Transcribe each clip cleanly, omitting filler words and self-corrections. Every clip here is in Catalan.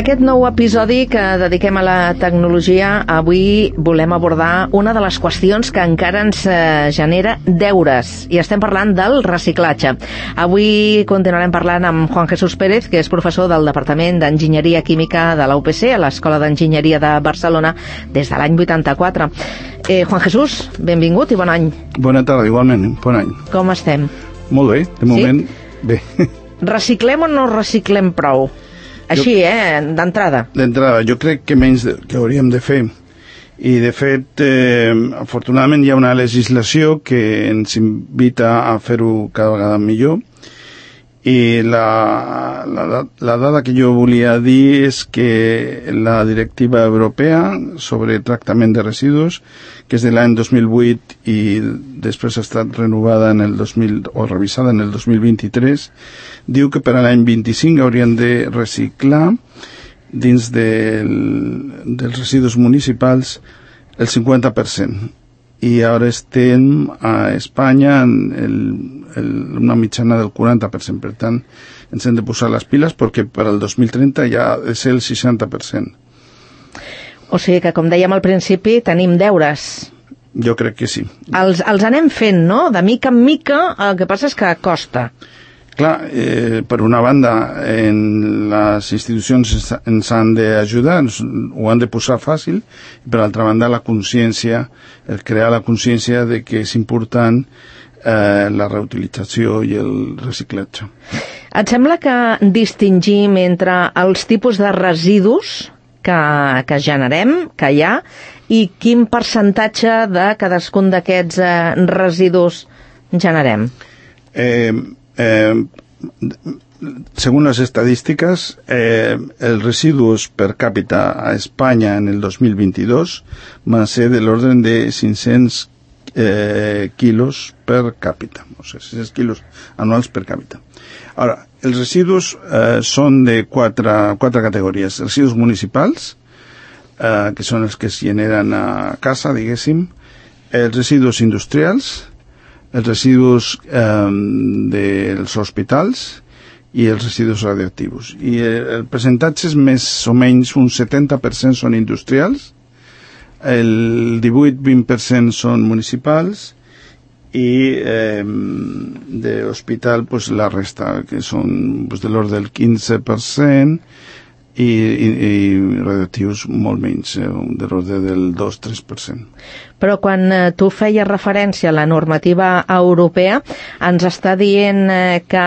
aquest nou episodi que dediquem a la tecnologia, avui volem abordar una de les qüestions que encara ens genera deures, i estem parlant del reciclatge. Avui continuarem parlant amb Juan Jesús Pérez, que és professor del Departament d'Enginyeria Química de la UPC, a l'Escola d'Enginyeria de Barcelona, des de l'any 84. Juan Jesús, benvingut i bon any. Bona tarda, igualment, bon any. Com estem? Molt bé, de moment, bé. Reciclem o no reciclem prou? Així, d'entrada. D'entrada, jo crec que menys que hauríem de fer. I, de fet, afortunadament hi ha una legislació que ens invita a fer-ho cada vegada millor. I la dada que jo volia dir és que la directiva europea sobre tractament de residus, que és de l'any 2008 i després ha estat renovada o revisada en el 2023, diu que per a l'any 25 haurien de reciclar dins dels residus municipals el 50%. I ara estem a Espanya en una mitjana del 40%. Per tant, ens hem de posar les piles perquè per al 2030 ja ha de ser el 60%. O sigui que, com dèiem al principi, tenim deures. Jo crec que sí. Els anem fent, no? De mica en mica, el que passa és que costa. Clar, per una banda, les institucions ens han d'ajudar, ho han de posar fàcil, i per altra banda, la consciència, crear la consciència de que és important la reutilització i el reciclatge. Et sembla que distingim entre els tipus de residus que generem, que hi ha, i quin percentatge de cadascun d'aquests residus generem? Según las estadísticas, el residuos per cápita a España en el 2022 van a ser del orden de 500 kilos per cápita, o sea, 600 kilos anuals per cápita. Ahora, els residus són de quatre categories. Residus municipals, que són els que es generen a casa, diguéssim, els residus industrials, els residus dels hospitals i els residus radioactius. I el percentatge és més o menys un 70% són industrials, el 18-20% són municipals i d'hospital pues, la resta, que són pues, de l'ordre del 15%, i radioactius molt menys, de l'ordre del 2-3%. Però quan tu feies referència a la normativa europea, ens està dient que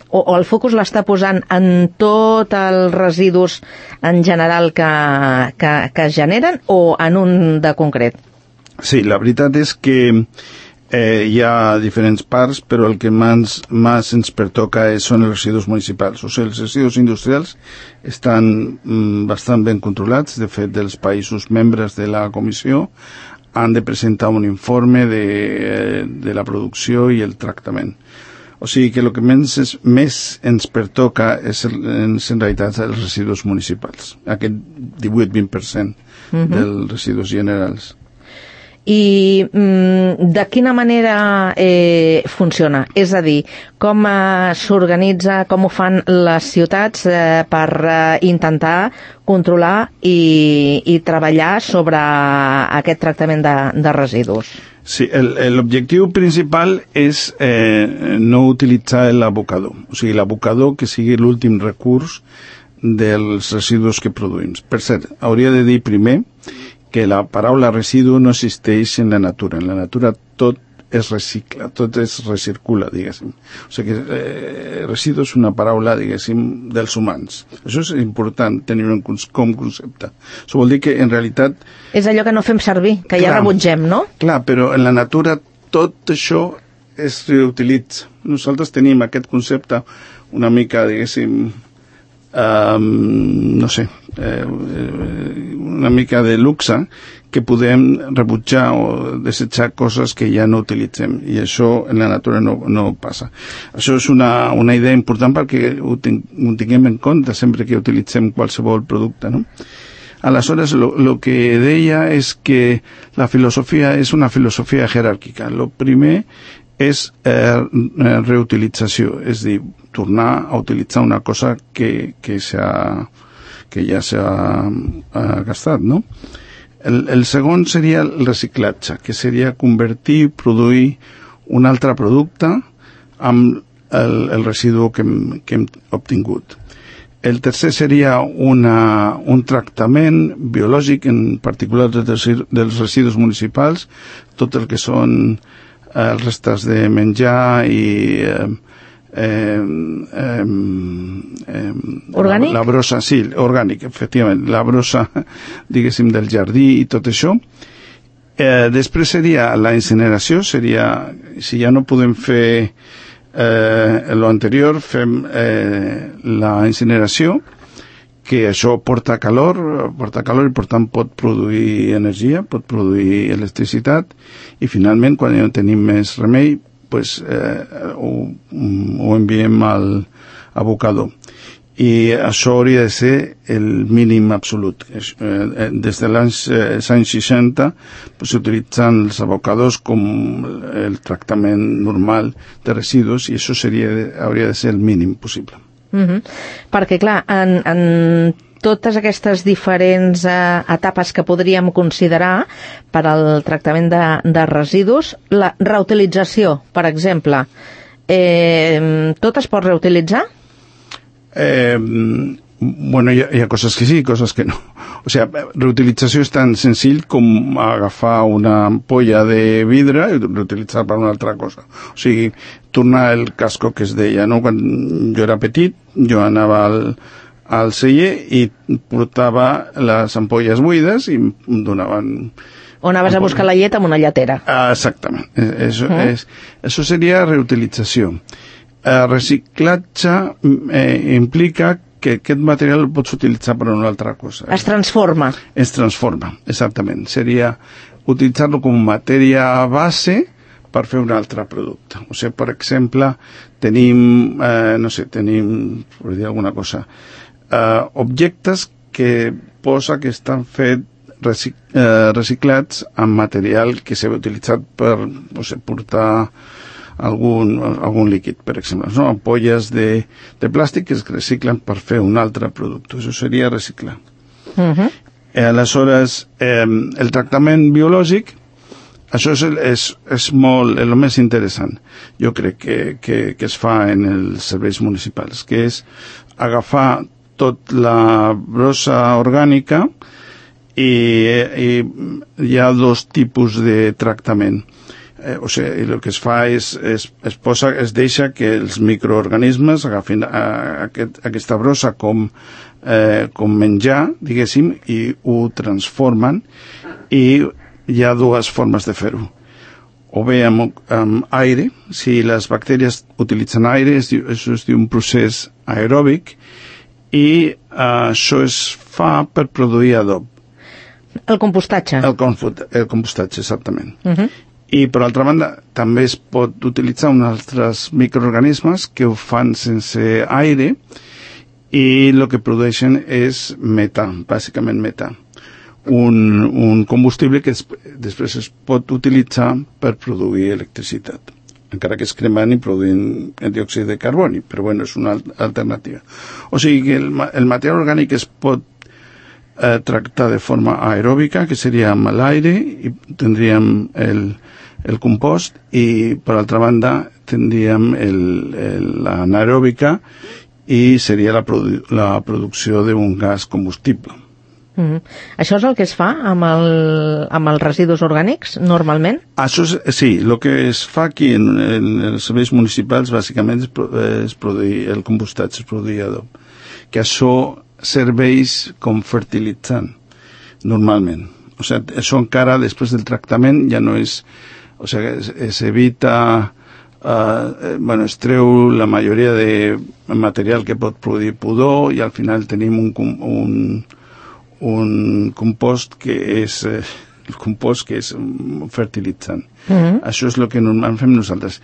o el focus l'està posant en tots els residus en general que es generen o en un de concret? Sí, la veritat és que hi ha diferents parts, però el que més ens pertoca són els residus municipals. O sigui, els residus industrials estan bastant ben controlats. De fet, els països membres de la comissió han de presentar un informe de la producció i el tractament. O sigui que el que més ens pertoca és en realitat els residus municipals, aquest 18-20% dels residus generals. I de quina manera funciona? És a dir, com s'organitza, com ho fan les ciutats per intentar controlar i treballar sobre aquest tractament de residus? Sí, l'objectiu principal és no utilitzar l'abocador. O sigui, l'abocador que sigui l'últim recurs dels residus que produïm. Per cert, hauria de dir primer que la paraula residu no existeix en la natura. En la natura tot es recicla, tot es recircula, diguéssim. O sigui que residu és una paraula, diguéssim, dels humans. Això és important tenir-ho com concepte. Això vol dir que, en realitat... És allò que no fem servir, que ja rebutgem, no? Clar, però en la natura tot això es reutilitza. Nosaltres tenim aquest concepte una mica, diguéssim, no sé, una mica de luxe, que podem rebutjar o desitjar coses que ja no utilitzem, i això en la natura no passa. Això és una idea important perquè ho tinguem en compte sempre que utilitzem qualsevol producte, no? Aleshores, lo que deia és que la filosofia és una filosofia jeràrquica. Lo primer és reutilització, és dir, tornar a utilitzar una cosa que ja s'ha gastat, no? El segon seria el reciclatge, que seria convertir, produir un altre producte amb el residu que hem obtingut. El tercer seria un tractament biològic, en particular dels residus municipals, tot el que són els restes de menjar i orgànic? La brossa, sí, orgànic, efectivament, la brossa, diguéssim, del jardí i tot això. Després seria la incineració, seria, si ja no podem fer lo anterior, fem la incineració, que això porta calor i per tant pot produir energia, pot produir electricitat, i finalment, quan ja no tenim més remei, pues, ho enviem al abocador. I això hauria de ser el mínim absolut. Des de l'any 60 s'utilitzen els abocadors com el tractament normal de residus, i això hauria de ser el mínim possible. Perquè, clar, en totes aquestes diferents etapes que podríem considerar per al tractament de residus, la reutilització, per exemple, tot es pot reutilitzar? Bueno, hi ha coses que sí, coses que no. O sigui, reutilització és tan senzill com agafar una ampolla de vidre i reutilitzar per una altra cosa. O sigui, tornar el casco que es deia, no? Quan jo era petit, jo anava al celler i portava les ampolles buides i em donaven... O anaves a buscar la llet amb una lletera. Exactament. Això seria reutilització. Reciclatge implica que aquest material el pots utilitzar per una altra cosa. Es transforma. Es transforma, exactament. Seria utilitzar-lo com matèria base per fer un altre producte. O sigui, per exemple, tenim, per dir alguna cosa, objectes que posa que estan fets reciclats amb material que s'ha utilitzat per portar algun líquid, per exemple, no? Ampolles de plàstic que es reciclen per fer un altre producte. Això seria reciclar. Aleshores, el tractament biològic, això és molt, el més interessant, jo crec que es fa en els serveis municipals, que és agafar tot la brossa orgànica i hi ha dos tipus de tractament. O sigui, el que es fa es deixa que els microorganismes agafin aquesta brossa com menjar, diguéssim, i ho transformen, i hi ha dues formes de fer-ho. O bé amb aire, si les bactèries utilitzen aire, això es diu un procés aeròbic, i això es fa per produir adob. El compostatge. El compostatge, exactament. I, per altra banda, també es pot utilitzar uns altres microorganismes que ho fan sense aire, i el que produeixen és metà, bàsicament metà. Un combustible que després es pot utilitzar per produir electricitat, encara que es cremant i produint diòxid de carboni, però bueno, és una alternativa. O sigui que el material orgànic es pot tractar de forma aeròbica, que seria amb l'aire, i tindríem el compost, i per altra banda tindríem l'anaeròbica, i seria la producció d'un gas combustible. Això és el que es fa amb els residus orgànics, normalment? Això sí, el que es fa aquí en els serveis municipals bàsicament és produir el compostatge, és produir adob, que això serveix com fertilitzant, normalment. O sigui, això encara després del tractament ja no és... O sigui, s'evita... es treu la majoria de material que pot produir pudor, i al final tenim un compost que és el compost que és fertilitzant. Això és el que normalment fem nosaltres.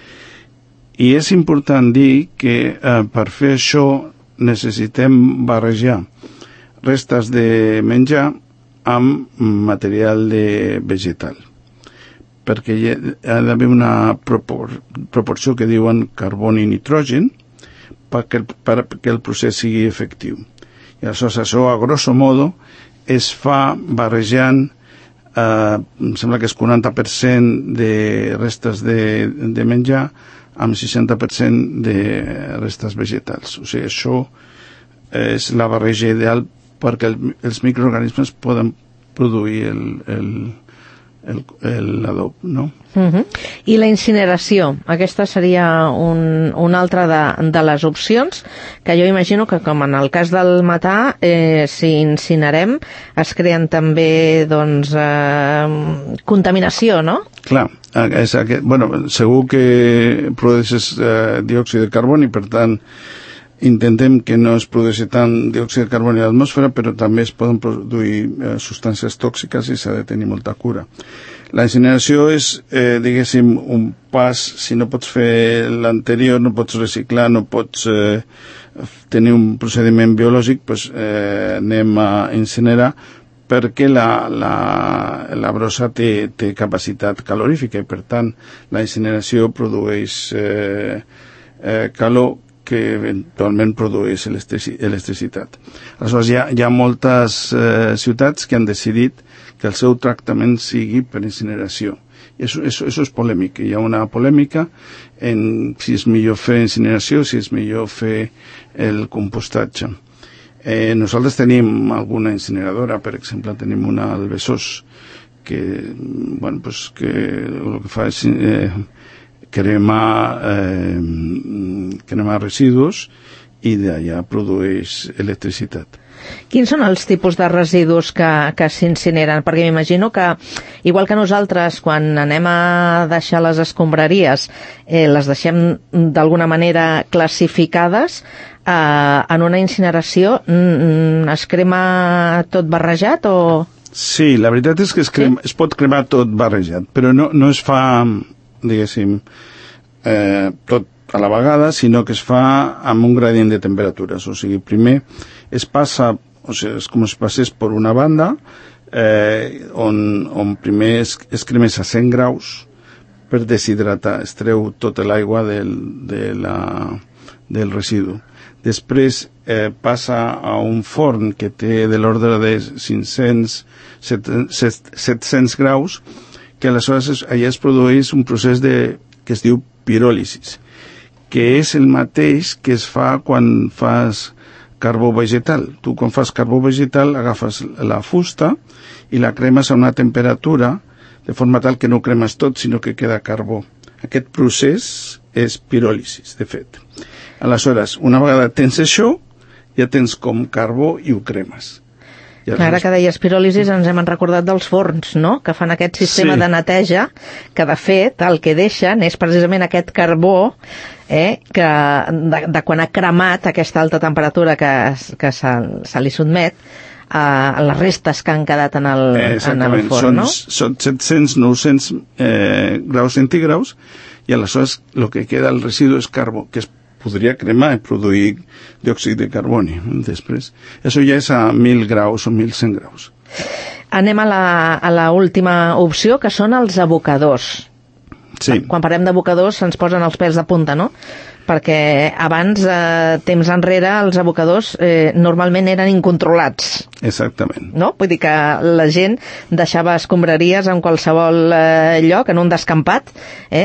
I és important dir que per fer això necessitem barrejar restes de menjar amb material vegetal, perquè hi ha d'haver una proporció que diuen carboni-nitrogen, perquè el procés sigui efectiu. I aleshores això, a grosso modo, es fa barrejant, em sembla que és 40% de restes de menjar amb 60% de restes vegetals. O sigui, això és la barreja ideal perquè els microorganismes poden produir l'adob, no? I la incineració, aquesta seria una altra de les opcions, que jo imagino que, com en el cas del metà, si incinerem es creen també contaminació, no? Clar, segur que produeixes diòxid de carboni, per tant intentem que no es produeixi tant diòxid de carboni a l'atmosfera, però també es poden produir substàncies tòxiques i s'ha de tenir molta cura. La incineració és, diguéssim, un pas. Si no pots fer l'anterior, no pots reciclar, no pots tenir un procediment biològic, doncs anem a incinerar, perquè la brossa té capacitat calorífica i, per tant, la incineració produeix calor que eventualment produeix electricitat. Aleshores, hi ha moltes ciutats que han decidit que el seu tractament sigui per incineració. I això és polèmic. Hi ha una polèmica en si és millor fer incineració, si és millor fer el compostatge. Nosaltres tenim alguna incineradora, per exemple, tenim una al Besòs, que el que fa és cremar residus i d'allà produeix electricitat. Quins són els tipus de residus que s'incineren? Perquè m'imagino que, igual que nosaltres, quan anem a deixar les escombraries, les deixem d'alguna manera classificades, en una incineració es crema tot barrejat o...? Sí, la veritat és que es pot cremar tot barrejat, però no es fa, diguéssim, tot a la vegada, sinó que es fa amb un gradient de temperatures. O sigui, primer es passa, o sigui, és com si passés per una banda, on primer es cremés a 100 graus per deshidratar, es treu tota l'aigua del residu. Després passa a un forn que té de l'ordre de 700 graus, que aleshores allà es produeix un procés que es diu piròlisis, que és el mateix que es fa quan fas carbó vegetal. Tu, quan fas carbó vegetal, agafes la fusta i la cremes a una temperatura de forma tal que no cremes tot, sinó que queda carbó. Aquest procés és piròlisis, de fet. Aleshores, una vegada tens això, ja tens com carbó i ho cremes. Ara que deies piròlisis ens hem recordat dels forns, no?, que fan aquest sistema de neteja, que de fet el que deixen és precisament aquest carbó que de quan ha cremat aquesta alta temperatura que se li sotmet a les restes que han quedat en el forn, no? Són 700-900 graus centígrads i aleshores el que queda al residu és carbó, que es podria cremar i produir diòxid de carboni després. Això ja és a 1.000 graus o 1.100 graus. Anem a la última opció, que són els abocadors. Sí. Quan parlem d'abocadors se'ns posen els pèls de punta, no? Perquè abans, temps enrere, els abocadors normalment eren incontrolats. Exactament. No? Vull dir que la gent deixava escombraries en qualsevol lloc, en un descampat,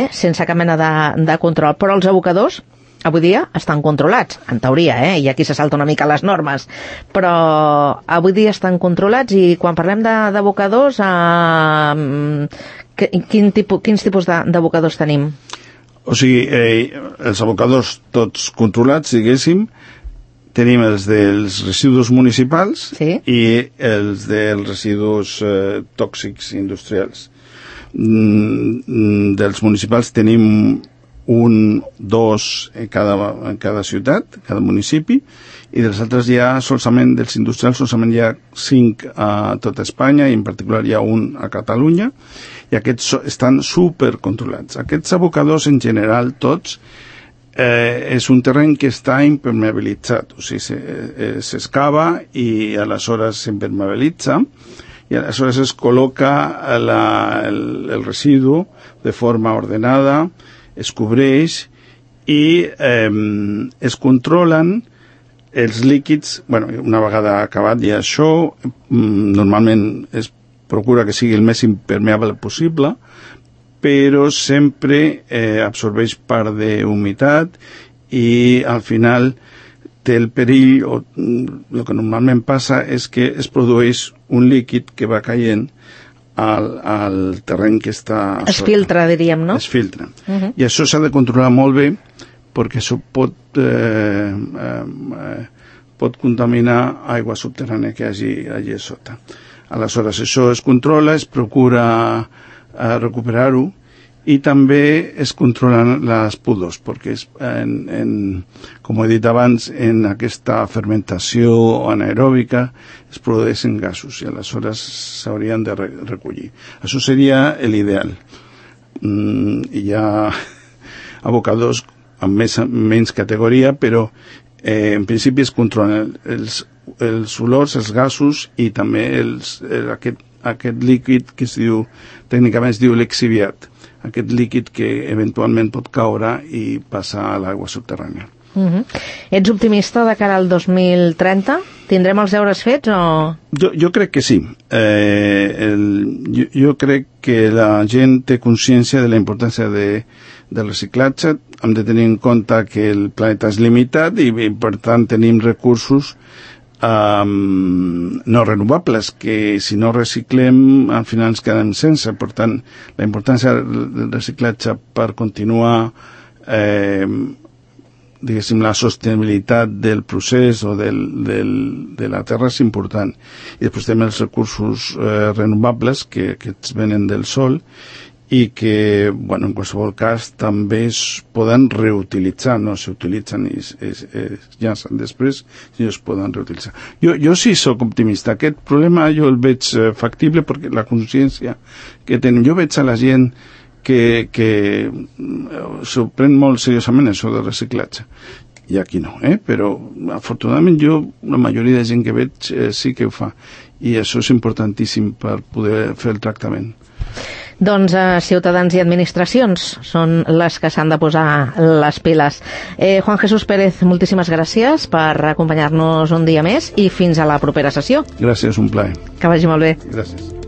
sense cap mena de control. Però els abocadors avui dia estan controlats, en teoria, i aquí se salta una mica les normes, però avui dia estan controlats. I quan parlem d'abocadors, quins tipus d'abocadors tenim? O sigui, els abocadors tots controlats, diguéssim, tenim els dels residus municipals i els dels residus tòxics industrials. Dels municipals tenim 1, 2 en cada ciutat, cada municipi, i dels altres solament, dels industrials solament hi ha 5 a tota Espanya, i en particular hi ha un a Catalunya, i aquests estan supercontrolats. Aquests abocadors, en general, tots, és un terreny que està impermeabilitzat, o sigui, s'excava i aleshores s'impermeabilitza, i aleshores es col·loca el residu de forma ordenada, es cobreix i es controlen els líquids, una vegada acabat ja això, normalment es procura que sigui el més impermeable possible, però sempre absorbeix part d'humitat i al final té el perill, o el que normalment passa és que es produeix un líquid que va caient al terreny que està... Es filtra, diríem, no? Es filtra. I això s'ha de controlar molt bé perquè això pot contaminar aigua subterrània que hi hagi allà sota. Aleshores, això es controla, es procura recuperar-ho i també es controlen les pudors, perquè com he dit abans, en aquesta fermentació anaeròbica es produeixen gasos i aleshores s'haurien de recollir. Això seria l'ideal. Hi ha abocadors amb menys categoria, però en principi es controlen els olors, els gasos i també aquest líquid que tècnicament es diu lixiviat, aquest líquid que eventualment pot caure i passar a l'aigua subterrània. Ets optimista de cara al 2030? Tindrem els deures fets o...? Jo crec que sí. Jo crec que la gent té consciència de la importància del reciclatge. Hem de tenir en compte que el planeta és limitat i per tant tenim recursos no renovables que si no reciclem al final ens quedem sense. Per tant, la importància del reciclatge per continuar diguéssim, la sostenibilitat del procés o de la terra és important. I després tenim els recursos renovables que ens venen del sol i que, en qualsevol cas, també es poden reutilitzar, no s'utilitzen i es llancen després, i es poden reutilitzar. Jo sí soc optimista. Aquest problema jo el veig factible perquè la consciència que tenim. Jo veig a la gent que s'ho pren molt seriosament això del reciclatge. I aquí no, però afortunadament la majoria de gent que veig sí que ho fa. I això és importantíssim per poder fer el tractament. Doncs ciutadans i administracions són les que s'han de posar les piles. Juan Jesús Pérez, moltíssimes gràcies per acompanyar-nos un dia més i fins a la propera sessió. Gràcies, un plaer. Que vagi molt bé. Gràcies.